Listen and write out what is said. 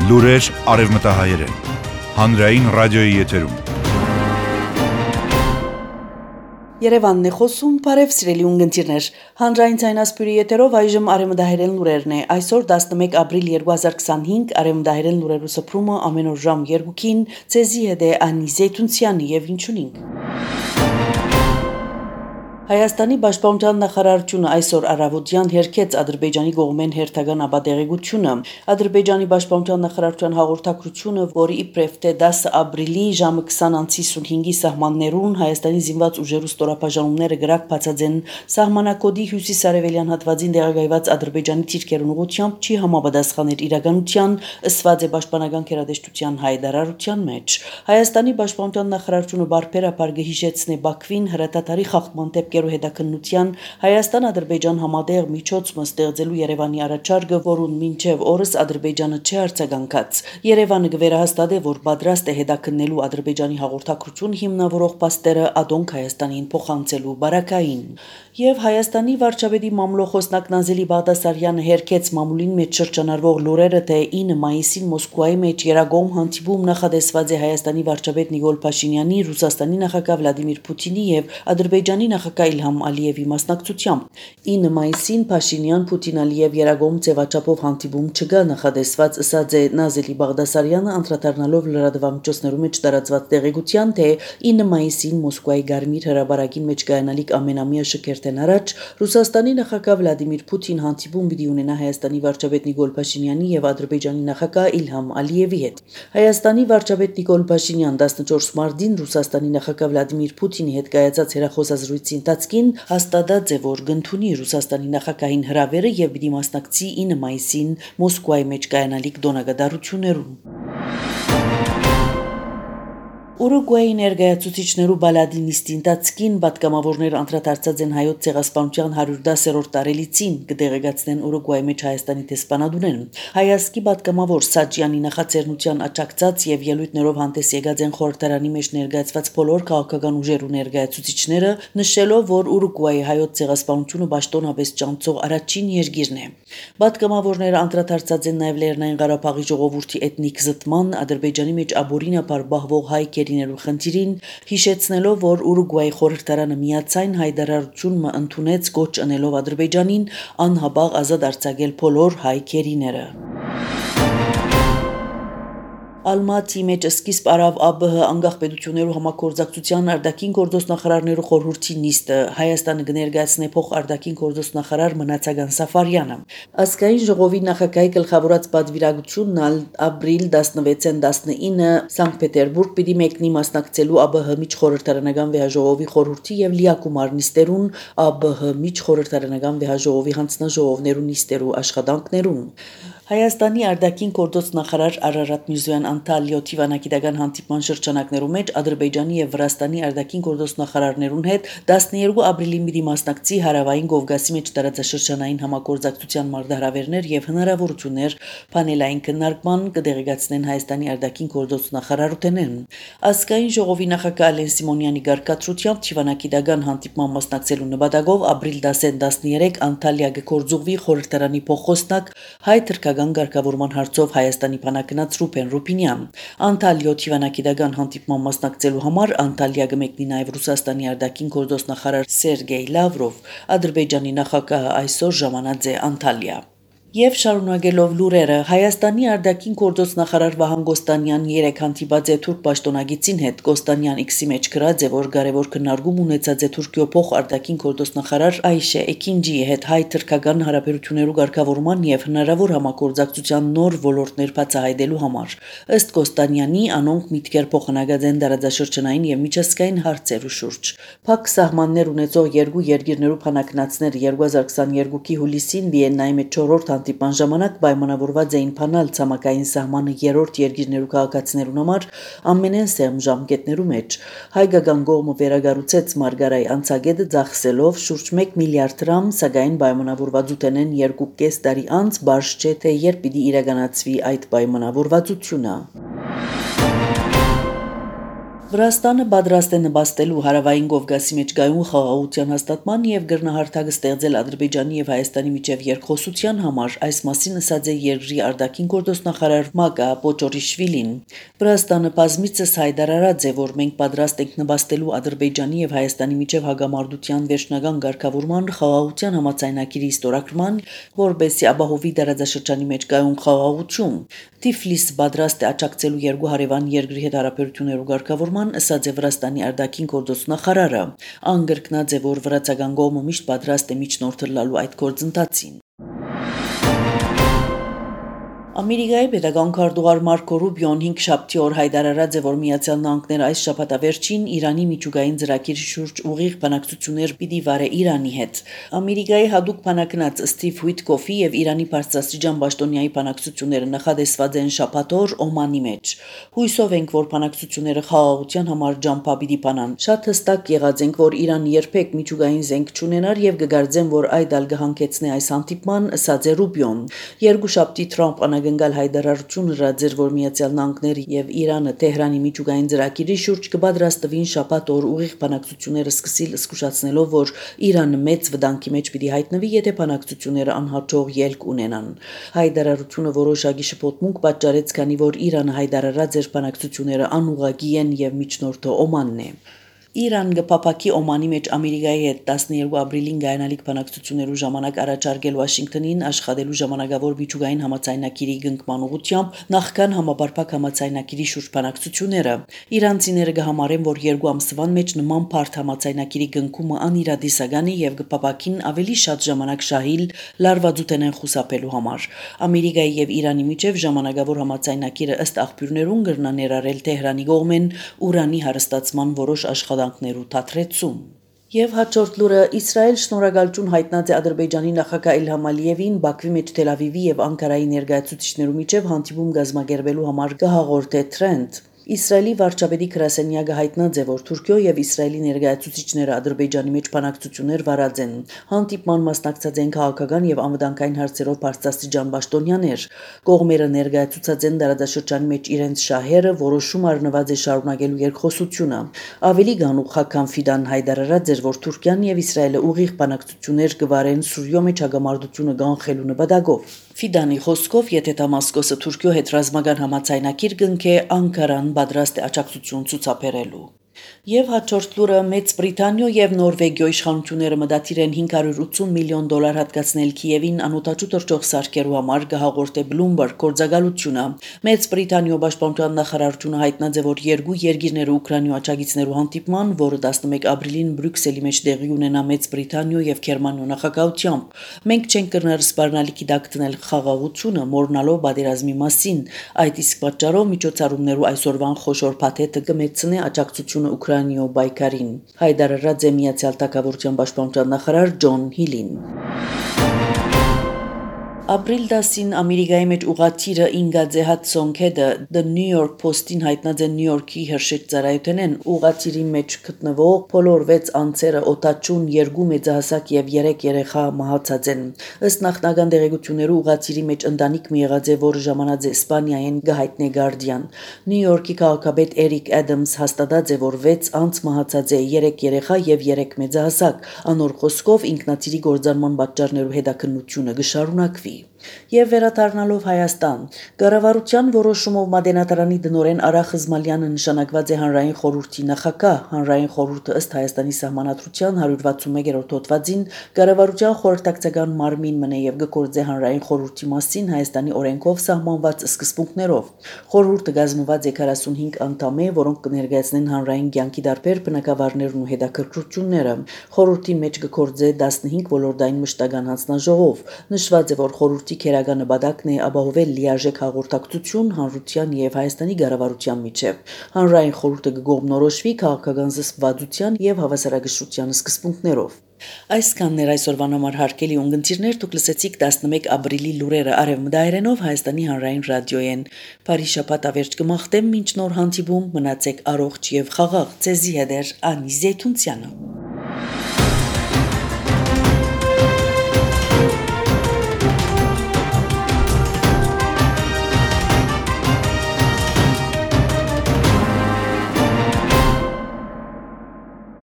Լուրեր արևմտահայերեն, հանրային ռադիոյի եթերում։ Երևանն է խոսում, բարև սիրելի ունգընտիրներ, հանրային ցայնասպյուրի եթերով այժմ արևմտահայերեն լուրերն է, այսօր 11 ապրիլ 2025, արևմտահայերեն լուրերու սփռումը ամեն օր ժամ 2-ին, ցեզի հետ է Անի Զեյթունցյանը եւ ինչունինք։ Հայաստանի Պաշտպանության նախարարությունը այսօր առավոտյան հերքեց Ադրբեջանի կողմեն հերթական ապատեղեկությունը։ Ադրբեջանի Պաշտպանության նախարարության հաղորդակցությունը, որի իբրև թե 10 ապրիլի ժամը 20:55-ի սահմաններուն Հայաստանի զինված ուժերու ստորաբաժանումները գրակ բացած են սահմանակոդի հյուսիսարևելյան հատվածին տեղակայված Ադրբեջանի թիրքերուն ուղղությամբ չի համապատասխաներ իրականության, ըսված է Պաշտպանական գերատեսչության հայտարարության մեջ։ Հայաստանի Պաշտպանության նախարարությունը բարբերաբար կհիշեցնե Բաքվին հրատատարի խախտման հետաքննության Հայաստան-Ադրբեջան համատեղ միջոցը ստեղծելու Երևանի առաջարկը, որուն մինչև օրս Ադրբեջանը չի արձագանքած։ Երևանը կվերահաստատե, որ պատրաստ է հետաքննելու Ադրբեջանի հաղորդակցություն հիմնավորող փաստերը ադոնք Հայաստանին փոխանցելու բարակային։ Եվ Հայաստանի վարչապետի մամլոխոսնակ Նազելի Բաղդասարյանը հերքեց մամուլին մեջ շրջանառվող լուրերը, թե 9 մայիսին Մոսկվայի մեջ երագոմ հանդիպում նախադեсված է Հայաստանի վարչապետ Նիկոլ Փաշինյանի, Ռուսաստանի նախագահ Վլադիմիր Պուտինի եւ Ադրբեջանի նախագահ Իլհամ Ալիևի մասնակցությամբ։ 9 մայիսին Փաշինյան-Պուտին-Ալիև երագոմ ձևաչափով հանդիպում չկա նախադեсված, ըսած է Նազելի Բաղդասարյանը, անդրադառնալով լրատվամիջոցներու մեջ տարածված տեղեկության, թե 9 մայիսին Մոսկվայի Գարմիր հրաբարակին մեջ կայանալիք ամենամյա շքերթեն առաջ Ռուսաստանի նախագահ Վլադիմիր Պուտին հանդիպում պիտի ունենա Հայաստանի վարչապետ Նիկոլ Փաշինյանի եւ Ադրբեջանի նախագահ Իլհամ Ալիևի հետ։ Հայաստանի վարչապետ Նիկոլ Փաշինյան 14 մարտին Ռուսաստանի նախագահ Վլադիմիր Պուտինի հետ կայացած հեռախոսազրույցի ընթացքին հաստատած է, որ կընդունի Ռուսաստանի նախագահին հրավերը եւ պիտի մասնակցի 9 մայիսին Մոսկվայի մեջ կայանալիք դոնագադարություններուն։ Ուրուգվայի ներկայացուցիչներու բալադի նիստի ընթացքին պատգամավորներ անդրադարձած են հայոց ցեղասպանության 110-րդ տարելիցին, կդեղեկացնեն Ուրուգվայի մեջ Հայաստանի դեսպանատունեն։ Հայաստանի պատգամավոր Սաջյանի նախաձեռնության աջակցած եւ ելույթներով հանդես եկած են խորհրդարանի մեջ ներկայացված բոլոր քաղաքական ուժերու ներկայացուցիչները, նշելով, որ Ուրուգվայի հայոց ցեղասպանությունը պաշտոնապես ճանաչող առաջին երկիրն է։ Պատգամավորները անդրադարձած են նաեւ Լեռնային Ղարաբաղի ժողովրդի էթնիկ զտման, Ադրբեջանի մեջ աբորինապար բահվող հայ կերիներու խնդիրին, հիշեցնելով, որ Ուրուգվայի խորհրդարանը միացայն հայտարարություն ընդունեց գոչ ընելով Ադրբեջանին անհաբաղ ազատ արձակել բոլոր հայ կերիները։ Ալմատի մեջ սկիզբ արավ ԱԲՀ անկախ պետություններու համագործակցության արտաքին գործոստ նախարարներու խորհրդի նիստը Հայաստանը կներկայացնե փոխ արտաքին գործոստ նախարար Մնացական Սաֆարյանը։ Ազգային ժողովի նախագահի գլխավորած պատվիրակությունն ապրիլ 16-ին 19 Սանկտ Պետերբուրգ պիտի մեկնի մասնակցելու ԱԲՀ միջխորհրդարանական վեհաժողովի խորհրդի եւ լիակումար նիստերուն ԱԲՀ միջխորհրդարանական վեհաժողովի հանձնաժողովներու նիստերու աշխատանքներուն։ Հայաստանի արտաքին գործոստ նախարար Արարատ Միրզոյան Անտալիո Թիվանագիտական հանդիպման շրջանակներու մեջ Ադրբեջանի եւ Վրաստանի արտաքին գործոստ նախարարներուն հետ 12 ապրիլին պիտի մասնակցի Հարավային Կովկասի մեջ տարածաշրջանային համագործակցության մարտահրավերներ եւ հնարավորություններ պանելային քննարկման, կդեղեկացնեն Հայաստանի արտաքին գործոստ նախարարութենեն։ Ազգային ժողովի նախագահ Ալեն Սիմոնյանի գարկատրությամբ Թիվանագիտական հանդիպման մասնակցելու նպատակով ապրիլ 10-13 Անտալիա կգործուղվի խորհրդարանի փոխոստնակ հայ գարկավորման հարցով Հայաստանի բանակնած Ռուբեն Ռուբինյան։ Անտալիո Թիվանագիտական հանդիպման մասնակցելու համար Անտալիա կմեկնի նաև Ռուսաստանի արտաքին գործոստ նախարար Սերգեյ Լավրով։ Ադրբեջանի նախագահը այսօր ժամանած է Անտալիա։ Եվ շարունակելով լուրերը, Հայաստանի արտաքին գործոստ նախարար Վահան Գոստանյան երեք հանդիպած է թուրք պաշտոնագետին հետ։ Գոստանյան X-ի մեջ գրած է, որ կարևոր քննարկում ունեցած է Թուրքիո փոխ արտաքին գործոստ նախարար Այշե Էքինջիի հետ հայ-թուրքական հարաբերություններու ղեկավարման եւ հնարավոր համագործակցության նոր ոլորտներ բացահայտելու համար։ Ըստ Գոստանյանի, անոնք միտքեր փոխանակած են տարածաշրջանային եւ միջազգային հարցերու շուրջ։ Փակ սահմաններ ունեցող երկու երկիրներու բանակնացներ 2022-ի հուլիսին Վիեննայի մեջ 4-րդ հանդիպան ժամանակ պայմանավորված էին փանալ ցամաքային սահմանը երրորդ երկիրներու քաղաքացիներուն համար ամենեն սեղմ ժամկետներու մեջ։ Հայկական կողմը վերագառուցեց Մարգարայի անցագետը ծախսելով շուրջ 1 միլիարդ դրամ, սակայն պայմանավորվածութենեն 2.5 տարի անց բարձ չէ, թե երբ պիտի իրականացվի այդ պայմանավորվածությունը։ Վրաստանը պատրաստ է նպաստելու հարավային Կովկասի մեջ գայուն խաղաղության հաստատման եւ գրնահարթակ ստեղծել Ադրբեջանի եւ Հայաստանի միջև երկխոսության համար, այս մասին ասաց է երկրի արտաքին գործոստնախարար Մագա Պոչորիշվիլին։ Վրաստանը բազմիցս հայտարարած է, որ մենք պատրաստ ենք նպաստելու Ադրբեջանի եւ Հայաստանի միջև հագամարտության վերջնական ղեկավարման խաղաղության համաձայնագիրի ստորագրման, որբեսի ապահովի դարաձաշրջանի մեջ գայուն խաղաղություն։ Թիֆլիսը պատրաստ է աջակցելու երկու հարևան երկրի հետ հարաբերություններու ղեկավարման, ասաց է Վրաստանի արտաքին գործոստնախարարը։ Անգրկնած է, որ վրացական կողմը միշտ պատրաստ է միջնորդելու այդ գործընթացին։ Ամերիկայի պետական քարտուղար Մարկո Ռուբիոն 5 շաբթի օր հայտարարած է, որ Միացյալ Նահանգները այս շաբաթավերջին Իրանի միջուկային ծրագիրի շուրջ ուղիղ բանակցություններ պիտի վարե Իրանի հետ։ Ամերիկայի հadoop բանակնած Սթիվ Ուիտկոֆի եւ Իրանի բարձրաստիճան պաշտոնյայի բանակցությունները նախադեсված են շաբաթ օր Օմանի մեջ։ Հույսով ենք, որ բանակցությունները խաղաղության համար ջամփա պիտի բանան։ Շատ հստակ եղած ենք, որ Իրանը երբեք միջուկային զենք չունենար եւ կգարձեն, որ այդ ալ կհանգեցնի այս հանդիպման, ասաց է Ռուբիոն։ Երկու շաբթի Թրամփ գնալ հայտարարություն հրաձեր, որ Միացյալ Նահանգները եւ Իրանը Թեհրանի միջուկային ծրագիրի շուրջ կպատրաստվին շաբաթ օր ուղիղ բանակցությունները սկսել, զսկուշացնելով, որ Իրանը մեծ վտանգի մեջ պիտի հայտնվի, եթե բանակցությունները անհաջող ելք ունենան։ Հայտարարությունը որոշակի շփոթմունք պատճառեց, քանի որ Իրանը հայտարարած էր բանակցությունները անուղղակի են եւ միջնորդը Օմանն է։ Իրան գփապակի Օմանի մեջ Ամերիկայի հետ 12 ապրիլին գայանալիք բանակցություններու ժամանակ առաջարկել Վաշինգտոնին աշխատելու ժամանակավոր միջուկային համաձայնագիրի գնկման ուղղությամբ նախքան համապարփակ համաձայնագիրի շուրջ բանակցությունները։ Իրանցիները կհամարեն, որ երկու ամսվան մեջ նման բարդ համաձայնագիրի գնկումը անիրադիսական է եւ գփապակին ավելի շատ ժամանակ շահիլ լարվածութենեն խուսափելու համար։ Ամերիկայի եւ Իրանի միջև ժամանակավոր համաձայնագիրը ըստ աղբյուրներուն կրնա ներառել Թեհրանի կողմեն ուրանի հարստացման որոշ աշխատանքներու թատրեցում։ Եվ հաջորդ լուրը Իսրայել շնորհակալություն հայտնած է Ադրբեջանի նախագահ Իլհամ Ալիևին Բաքվի մեջ Թել Ավիվի եւ Անկարայի ներկայացուցիչներու միջև հանդիպում կազմակերպելու համար կհաղորդե Թրենդ։ Իսրայելի վարչապետի գրասենյակը հայտնած է, որ Թուրքիո եւ Իսրայելի ներկայացուցիչները Ադրբեջանի մեջ բանակցություններ վարած են։ Հանդիպման մասնակցած են քաղաքական եւ անվտանգային հարցերով բարձրաստիճան պաշտոնյաներ։ Կողմերը ներկայացուցած են դարաշրջանի մեջ իրենց շահերը, որոշում առնված է շարունակելու երկխոսությունը։ Ավելի գանուխ Խաքան Ֆիդան հայտարարած էր, որ Թուրքիան եւ Իսրայելը ուղիղ բանակցություններ կվարեն Սուրիո մեջ հագամարտությունը կանխելու նպատակով։ Ֆիդանի խոսքով, եթե Դամասկոսը Թուրքիո հետ ռազմական համաձայնագիր կնքե, Անկարան պատրաստ է աջակցություն ցուցաբերելու։ Եվ հաջորդ լուրը Մեծ Բրիտանիա եւ Նորվեգիա իշխանությունները մտադիր են $580 միլիոն հատկացնել Կիևին անօտաչու թռչող սարքերու համար, կհաղորդե Bloomberg գործակալությունը։ Մեծ Բրիտանիա պաշտպանության նախարարությունը հայտնած է, որ երկու երկիրները Ուկրաինա աջակիցներու հանդիպման, որը 11 ապրիլին Բրյուսելի մեջ տեղի ունենա Մեծ Բրիտանիա եւ Գերմանիա նախագահությամբ։ Մենք չենք կրնար սպառնալիքի դակտնել խաղաղությունը, մորնալով պատերազմի մասին։ Այդ իսկ պատճառով միջոցառումներու այսօրվան խոշոր փաթեթը կմեծնի աջակցությունը Ուկրաինայո բայկարին։ Հայտարարած է Միացյալ Թագավորության պաշտպանության նախարար Ջոն Հիլին։ Ապրիլ 10-ին Ամերիկայի մեջ ուղղաթիռը ինգած է Հադսոն քեդը The New York Post-ին հայտնած է Նյու Յորքի Հերշեջ ծառայությունեն ուղղաթիռի մեջ գտնվող բոլոր 6 անձերը օտաչուն 2 մեծահասակ եւ 3 երեխա մահացած են։ Ըստ նախնական տեղեկություններու ուղղաթիռի մեջ ընտանիք մի եղած է, որը ժամանած է Իսպանիայեն գահիտնե Guardian։ Նյու Յորքի քաղաքապետ Էրիկ Ադամս հաստատած է, որ 6 անձ մահացած է, 3 երեխա եւ 3 մեծահասակ։ Անոր խոսքով ինքնաթիռի գործարման պատճառներու հետաքննությունը կշարունակվի։ Եվ վերադառնալով Հայաստան, կառավարության որոշումով Մատենադարանի դնորեն Արա Խզմալյանը նշանակված է հանրային խորհրդի նախագահ։ Հանրային խորհուրդը ըստ Հայաստանի սահմանադրության 161-րդ հոդվածին կառավարության խորհրդակցական մարմին մնե եւ գործե հանրային խորհրդի մասին Հայաստանի օրենքով սահմանված սկզբունքներով։ Խորհուրդը կազմված է 45 անդամե, որոնք կներկայացնեն հանրային կյանքի դարբեր բնակավարներն ու հետաքրքրությունները։ Խորհրդի մեջ կգործե 15 ոլորտային մշտական հանձնաժողով։ Նշված է, որ խորհրդի քերական նպատակն է ապահովել լիարժեք հաղորդակցություն հանրության եւ Հայաստանի կառավարության միջև։ Հանրային խորհուրդը կգոհնորոշվի քաղաքական զսպվածության եւ հավասարակշռության սկզբունքներով։ Այսքանն էր այսօրվան համար հարգելի ունգընտիրներ, դուք լսեցիք 11 ապրիլի լուրերը արևմտահայերենով Հայաստանի հանրային ռադիոյեն։ Բարի շաբաթ ավերջ կմաղթեմ, մինչ նոր հանդիպում, մնացեք առողջ եւ խաղաղ։ Ձեզի հետ է Անի Զեյթունցյանը։